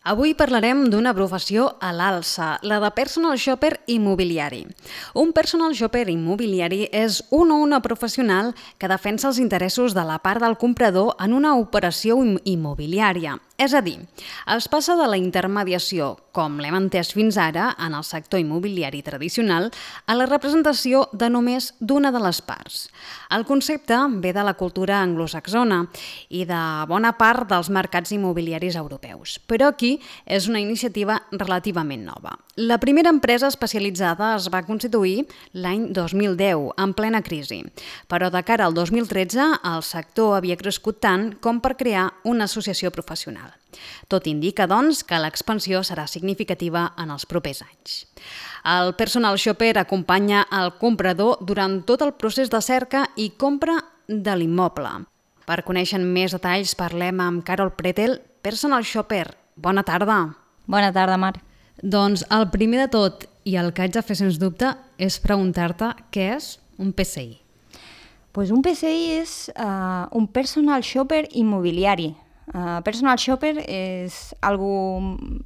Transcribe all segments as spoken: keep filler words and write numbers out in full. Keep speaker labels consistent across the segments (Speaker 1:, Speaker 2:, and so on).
Speaker 1: Avui parlarem d'una professió a l'alça, la de personal shopper immobiliari. Un personal shopper immobiliari és un o una professional que defensa els interessos de la part del comprador en una operació immobiliària. És a dir, es passa de la intermediació, com l'hem entès fins ara en el sector immobiliari tradicional, a la representació de només d'una de les parts. El concepte ve de la cultura anglosaxona i de bona part dels mercats immobiliaris europeus, però aquí és una iniciativa relativament nova. La primera empresa especialitzada es va constituir l'any dos mil deu, en plena crisi, però de cara al dos mil tretze el sector havia crescut tant com per crear una associació professional. Tot indica, doncs, que l'expansió serà significativa en els propers anys. El personal shopper acompanya el comprador durant tot el procés de cerca i compra de l'immoble. Per conèixer més detalls parlem amb Carol Pretel, personal shopper. Bona tarda.
Speaker 2: Bona tarda, Mar.
Speaker 1: Doncs el primer de tot, i el que haig de fer sens dubte, és preguntar-te què és un P C I.
Speaker 2: Pues un P C I és uh, un personal shopper immobiliari. Uh, personal shopper és algo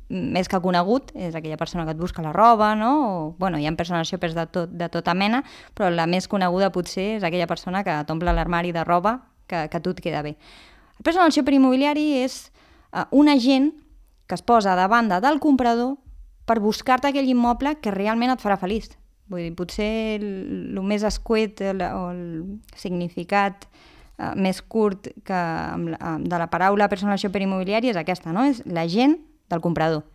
Speaker 2: més que conegut, és aquella persona que et busca la roba, no? O, bueno, hi ha personal shoppers de, tot, de tota mena, però la més coneguda potser és aquella persona que t'omple l'armari de roba que, que a tu et queda bé. El personal shopper immobiliari és uh, un agent que es posa a banda del comprador per buscar-te aquell immoble que realment et farà feliç. Vull dir, potser el, el més escuet el, o el significat Uh, més curt que, um, de la paraula personal shopper immobiliari és aquesta, no? És l'agent del comprador.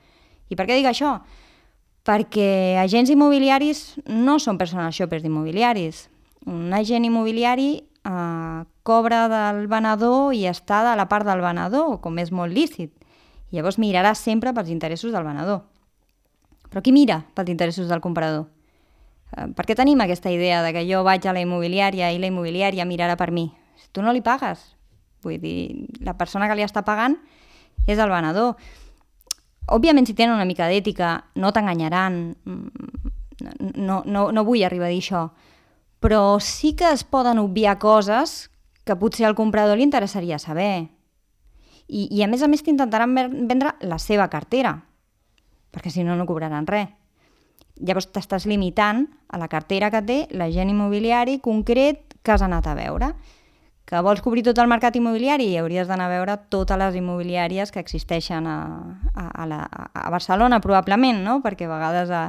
Speaker 2: I per què dic això? Perquè agents immobiliaris no són personal shoppers immobiliaris. Un agent immobiliari uh, cobra del venedor i està de la part del venedor, com és molt lícit. I llavors mirarà sempre pels interessos del venedor. Però qui mira pels interessos del comprador? Uh, per què tenim aquesta idea de que jo vaig a la immobiliària i la immobiliària mirarà per mi? Tu no li pagues. Vull dir, la persona que li està pagant és el venedor. Òbviament, si tenen una mica d'ètica, no t'enganyaran. No, no, no vull arribar a dir això. Però sí que es poden obviar coses que potser al comprador li interessaria saber. I, i a més a més t'intentaran vendre la seva cartera, perquè si no, no cobraran res. Llavors t'estàs limitant a la cartera que té l'agent immobiliari concret que has anat a veure. Que vols cobrir tot el mercat immobiliari i hauries d'anar a veure totes les immobiliàries que existeixen a, a, a, la, a Barcelona, probablement, no? Perquè a vegades a,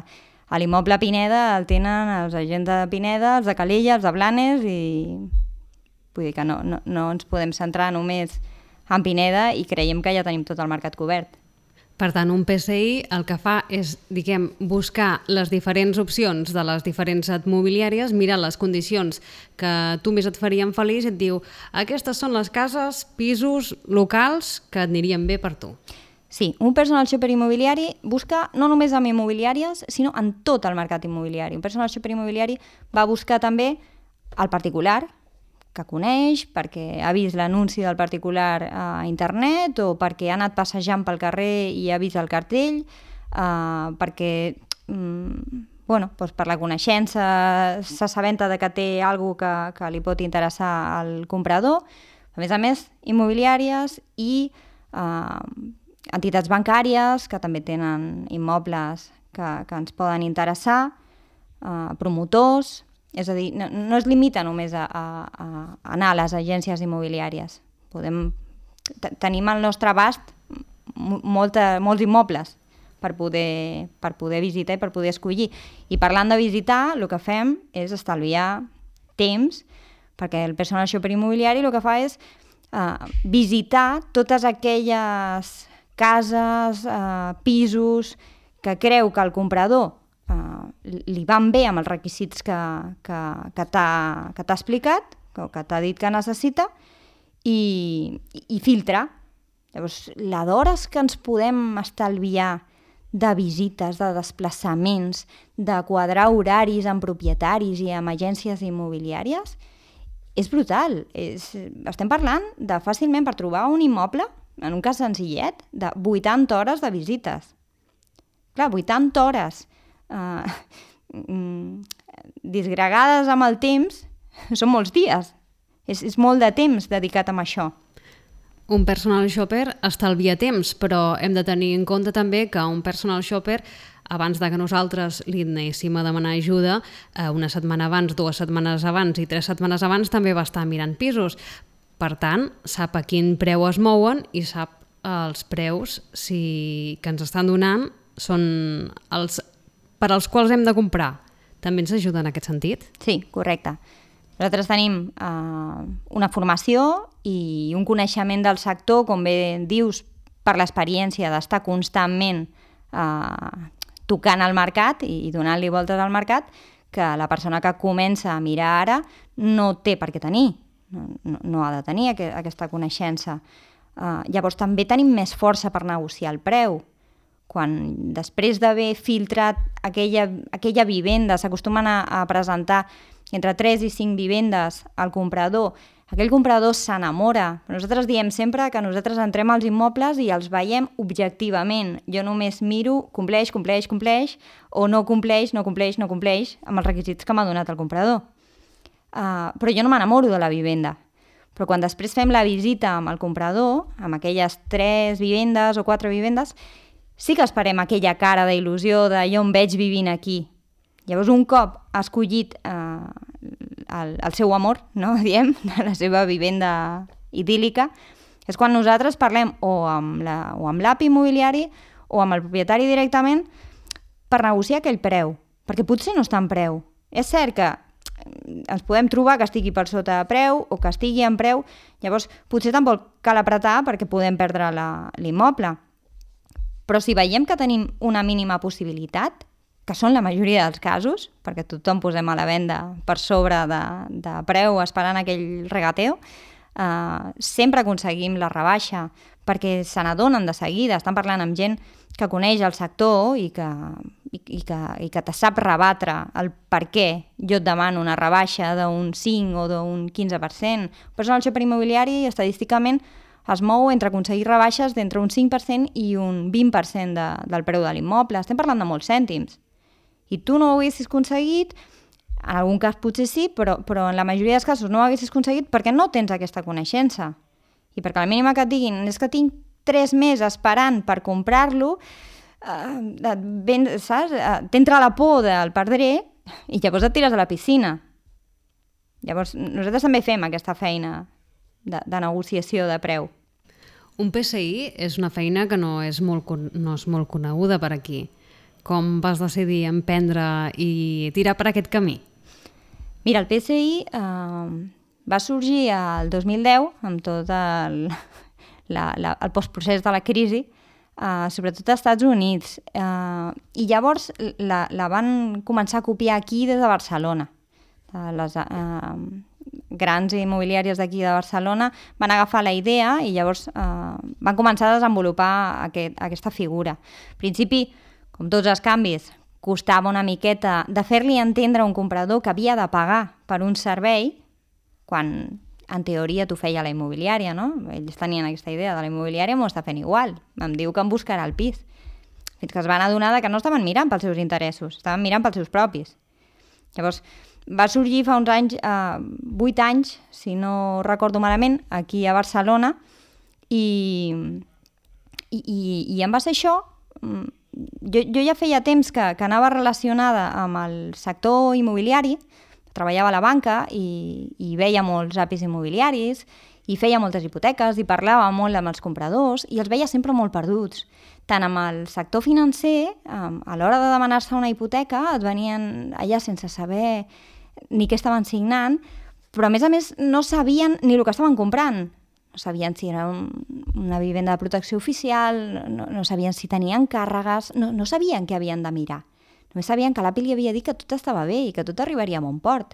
Speaker 2: a l'immoble Pineda el tenen els agents de Pineda, els de Calella, els de Blanes, i vull dir que no, no, no ens podem centrar només en Pineda i creiem que ja tenim tot el mercat cobert.
Speaker 1: Per tant, un P C I el que fa és, diguem, buscar les diferents opcions de les diferents immobiliàries, mirar les condicions que tu més et farien feliç i et diu aquestes són les cases, pisos, locals que et anirien bé per tu.
Speaker 2: Sí, un personal shopper immobiliari busca no només en immobiliàries, sinó en tot el mercat immobiliari. Un personal shopper immobiliari va buscar també el particular, que coneix, perquè ha vist l'anunci del particular a internet o perquè ha anat passejant pel carrer i ha vist el cartell, eh, perquè mm, bueno, doncs per la coneixença s'assabenta de que té alguna cosa que, que li pot interessar al comprador. A més a més, immobiliàries i eh, entitats bancàries que també tenen immobles que, que ens poden interessar, eh, promotors. És a dir, no, no es limita només a, a, a anar a les agències immobiliàries. Podem, tenim al nostre abast molta, molts immobles per poder, per poder visitar i per poder escollir. I parlant de visitar, el que fem és estalviar temps, perquè el personal shopper immobiliari el que fa és uh, visitar totes aquelles cases, uh, pisos, que creu que el comprador Uh, li van bé amb els requisits que, que, que t'ha explicat, que, que t'ha dit que necessita, i, i filtra. Llavors, la d'hores que ens podem estalviar de visites, de desplaçaments, de quadrar horaris amb propietaris i amb agències immobiliàries, és brutal. És, estem parlant de fàcilment per trobar un immoble, en un cas senzillet, de vuitanta hores de visites. Clar, vuitanta hores Uh, mm, disgregades amb el temps són molts dies, és, és molt de temps dedicat a això.
Speaker 1: Un personal shopper estalvia temps, però hem de tenir en compte també que un personal shopper, abans de que nosaltres li anéssim a demanar ajuda, una setmana abans, dues setmanes abans i tres setmanes abans també va estar mirant pisos. Per tant, sap a quin preu es mouen i sap els preus si, que ens estan donant són els per als quals hem de comprar. També ens ajuda en aquest sentit?
Speaker 2: Sí, correcte. Nosaltres tenim eh, una formació i un coneixement del sector, com bé dius, per l'experiència d'estar constantment eh, tocant el mercat i, i donant-li voltes al mercat, que la persona que comença a mirar ara no té per què tenir. No, no, no ha de tenir aqu aquesta coneixença. Uh, llavors també tenim més força per negociar el preu. Quan després d'haver filtrat aquella, aquella vivenda, s'acostumen a, a presentar entre tres i cinc vivendes al comprador, aquell comprador s'enamora. Nosaltres diem sempre que nosaltres entrem als immobles i els veiem objectivament. Jo només miro, compleix, compleix, compleix, o no compleix, no compleix, no compleix, amb els requisits que m'ha donat el comprador. Uh, però jo no m'enamoro de la vivenda. Però quan després fem la visita amb el comprador, amb aquelles tres vivendes o quatre vivendes, sí que esperem aquella cara d'il·lusió de jo em veig vivint aquí. Llavors, un cop ha escollit uh, el, el seu amor, no? Diem, de la seva vivenda idíl·lica, és quan nosaltres parlem o amb la, o amb l'A P I immobiliari o amb el propietari directament per negociar aquell preu, perquè potser no està en preu. És cert que ens podem trobar que estigui per sota de preu o que estigui en preu, llavors potser tampoc cal apretar perquè podem perdre l'immoble. Però si veiem que tenim una mínima possibilitat, que són la majoria dels casos, perquè tothom posem a la venda per sobre de, de preu esperant aquell regateo, eh, sempre aconseguim la rebaixa, perquè se n'adonen de seguida, estan parlant amb gent que coneix el sector i que, i, i que, i que te sap rebatre el per què jo et demano una rebaixa d'un cinc o d'un quinze per cent. Un personal shopper immobiliari estadísticament es mou entre aconseguir rebaixes d'entre un cinc per cent i un vint per cent de, del preu de l'immoble. Estem parlant de molts cèntims. I tu no ho haguessis aconseguit, en algun cas potser sí, però, però en la majoria dels casos no ho haguessis aconseguit perquè no tens aquesta coneixença. I perquè la mínima que et diguin és que tinc tres mesos esperant per comprar-lo, eh, saps? T'entra la por del perdré i llavors et tires a la piscina. Llavors nosaltres també fem aquesta feina de, de negociació de preu.
Speaker 1: Un P S I és una feina que no és molt, no és molt coneguda per aquí. Com vas decidir emprendre i tirar per aquest camí?
Speaker 2: Mira, el P S I eh, va sorgir el dos mil deu amb tot el, la, la, el postprocés de la crisi, eh, sobretot als Estats Units. Eh, I llavors la, la van començar a copiar aquí des de Barcelona. Les eh, grans immobiliàries d'aquí de Barcelona van agafar la idea i llavors eh, van començar a desenvolupar aquest, aquesta figura. Al principi, com tots els canvis, costava una miqueta de fer-li entendre a un comprador que havia de pagar per un servei quan en teoria t'ho feia la immobiliària, no? Ells tenien aquesta idea de la immobiliària, m'ho està fent igual. Em diu que em buscarà el pis. Fins que es van adonar que no estaven mirant pels seus interessos, estaven mirant pels seus propis. Llavors, va sorgir fa uns anys, eh, vuit anys, si no recordo malament, aquí a Barcelona, i, i, i, i en base a això, jo, jo ja feia temps que, que anava relacionada amb el sector immobiliari, treballava a la banca i, i veia molts A P Is immobiliaris i feia moltes hipoteques i parlava molt amb els compradors i els veia sempre molt perduts. Tant amb el sector financer, a l'hora de demanar-se una hipoteca, et venien allà sense saber ni què estaven signant, però a més a més no sabien ni el que estaven comprant. No sabien si era un, una vivenda de protecció oficial, no, no sabien si tenien càrregues, no, no sabien què havien de mirar. Només sabien que l'A P I li havia dit que tot estava bé i que tot arribaria a bon port.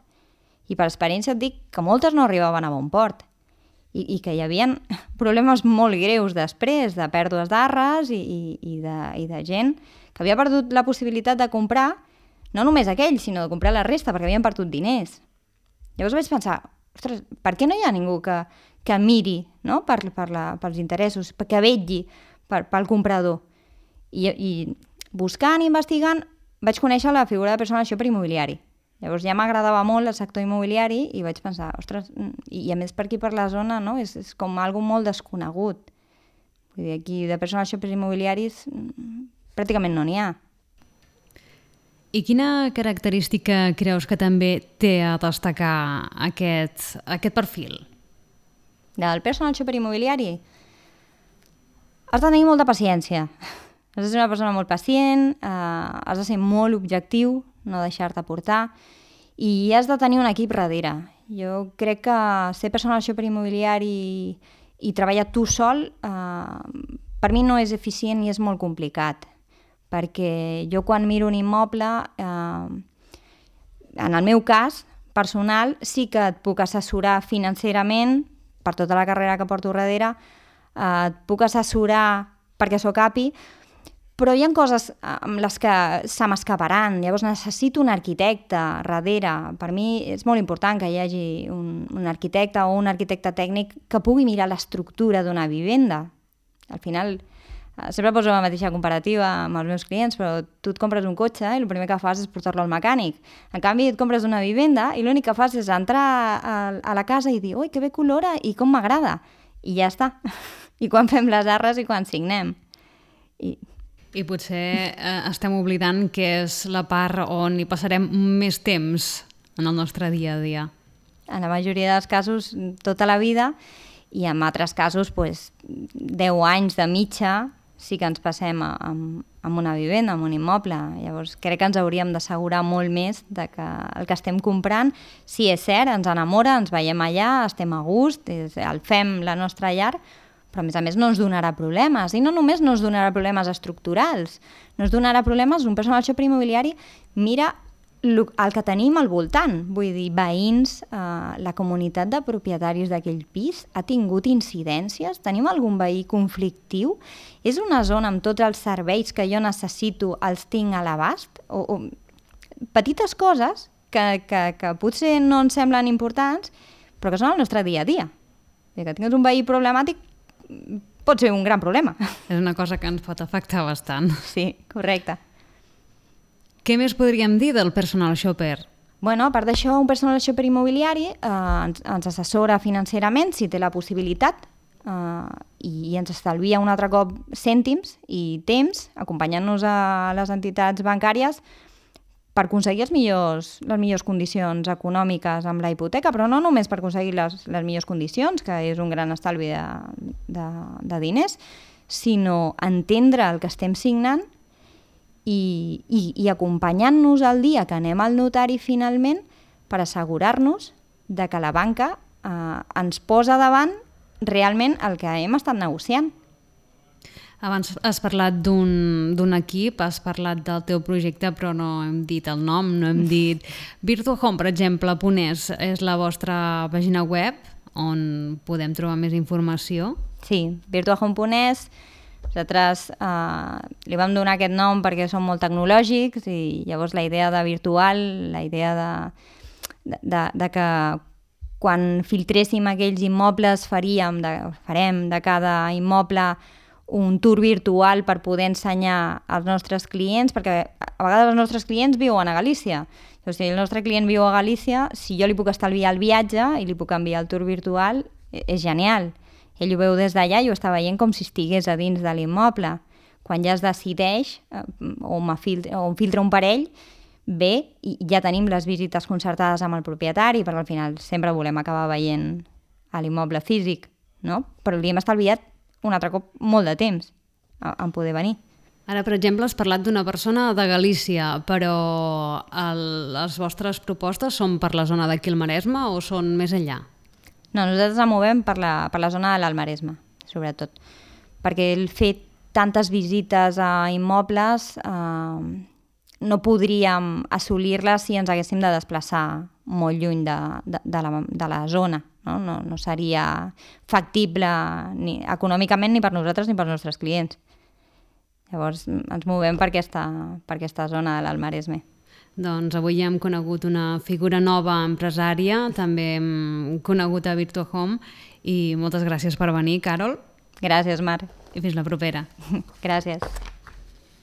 Speaker 2: I per experiència et dic que moltes no arribaven a bon port. I, i que hi havia problemes molt greus després, de pèrdues d'arres i, i, i, de, i de gent que havia perdut la possibilitat de comprar, no només aquell, sinó de comprar la resta, perquè havien perdut diners. Llavors vaig pensar, ostres, per què no hi ha ningú que, que miri, no? per, per la, pels interessos, que vetlli per, pel comprador? I, i buscant i investigant vaig conèixer la figura de personal shopper immobiliari. Llavors ja m'agradava molt el sector immobiliari i vaig pensar, ostres, i a més per aquí per la zona, no? és, és com algo molt desconegut. Vull dir, aquí de personal shoppers immobiliaris pràcticament no n'hi ha.
Speaker 1: I quina característica creus que també té a destacar aquest, aquest perfil?
Speaker 2: Del personal shopper immobiliari? Has de tenir molta paciència. Has de ser una persona molt pacient, eh, has de ser molt objectiu, no deixar-te portar, i has de tenir un equip darrere. Jo crec que ser personal shopper immobiliari i, i treballar tu sol, eh, per mi no és eficient i és molt complicat, perquè jo quan miro un immoble, eh, en el meu cas personal, sí que et puc assessorar financerament, per tota la carrera que porto darrere, eh, et puc assessorar perquè sóc A P I, però hi ha coses amb les que se m'escaparan, llavors necessito un arquitecte darrere. Per mi és molt important que hi hagi un, un arquitecte o un arquitecte tècnic que pugui mirar l'estructura d'una vivenda. Al final, sempre poso la mateixa comparativa amb els meus clients, però tu et compres un cotxe i el primer que fas és portar-lo al mecànic. En canvi, et compres una vivenda i l'únic que fas és entrar a, a la casa i dir «Ui, que bé colora i com m'agrada!» I ja està. I quan fem les arres i quan signem. I...
Speaker 1: I potser eh, estem oblidant que és la part on hi passarem més temps en el nostre dia a dia.
Speaker 2: En la majoria dels casos, tota la vida, i en altres casos, pues, deu anys de mitja sí que ens passem amb, amb una vivenda, amb un immoble. Llavors, crec que ens hauríem d'assegurar molt més de que el que estem comprant, sí, és cert, ens enamora, ens veiem allà, estem a gust, és, el fem la nostra llar, però a més a més no ens donarà problemes, i no només no ens donarà problemes estructurals, no ens donarà problemes, un personal shopper immobiliari mira el que tenim al voltant, vull dir, veïns, eh, la comunitat de propietaris d'aquell pis ha tingut incidències, tenim algun veí conflictiu, és una zona amb tots els serveis que jo necessito, els tinc a l'abast, o, o petites coses que, que, que potser no ens semblen importants, però que són el nostre dia a dia. Que tinguis un veí problemàtic pot ser un gran problema.
Speaker 1: És una cosa que ens pot afectar bastant.
Speaker 2: Sí, correcte.
Speaker 1: Què més podríem dir del personal shopper?
Speaker 2: Bueno, a part d'això, un personal shopper immobiliari eh, ens, ens assessora financerament si té la possibilitat eh, i, i ens estalvia un altre cop cèntims i temps acompanyant-nos a les entitats bancàries per aconseguir els millors, les millors condicions econòmiques amb la hipoteca, però no només per aconseguir les, les millors condicions, que és un gran estalvi de, de, de diners, sinó entendre el que estem signant i, i, i acompanyant-nos el dia que anem al notari finalment per assegurar-nos de que la banca eh, ens posa davant realment el que hem estat negociant.
Speaker 1: Abans has parlat d'un equip, has parlat del teu projecte, però no hem dit el nom, no hem dit... Virtuahome, per exemple, Ponès, és la vostra pàgina web on podem trobar més informació?
Speaker 2: Sí, Virtuahome Ponès. Nosaltres eh, li vam donar aquest nom perquè som molt tecnològics i llavors la idea de virtual, la idea de, de, de, de que quan filtréssim aquells immobles faríem, de, farem de cada immoble un tour virtual per poder ensenyar als nostres clients, perquè a vegades els nostres clients viuen a Galícia. O sigui, si el nostre client viu a Galícia, si jo li puc estalviar el viatge i li puc enviar el tour virtual, és genial. Ell ho veu des d'allà i ho està veient com si estigués a dins de l'immoble. Quan ja es decideix, o, filtra, o filtra un parell, bé, i ja tenim les visites concertades amb el propietari, perquè al final sempre volem acabar veient a l'immoble físic, no? Però li hem estalviat un altre cop molt de temps en poder venir.
Speaker 1: Ara, per exemple, has parlat d'una persona de Galícia, però el, les vostres propostes són per la zona d'aquí al Maresme o són més enllà?
Speaker 2: No, nosaltres ens movem per la, per la zona de l'Alt Maresme, sobretot, perquè el fet tantes visites a immobles eh, no podríem assolir-les si ens haguéssim de desplaçar molt lluny de, de, de, la, de la zona. No, no, no seria factible ni econòmicament ni per nosaltres ni per als nostres clients. Llavors ens movem per aquesta, per aquesta zona de l'Alt Maresme.
Speaker 1: Doncs avui hem conegut una figura nova empresària, també hem conegut a Virtuahome i moltes gràcies per venir, Carol.
Speaker 2: Gràcies, Mar.
Speaker 1: I fins la propera.
Speaker 2: Gràcies.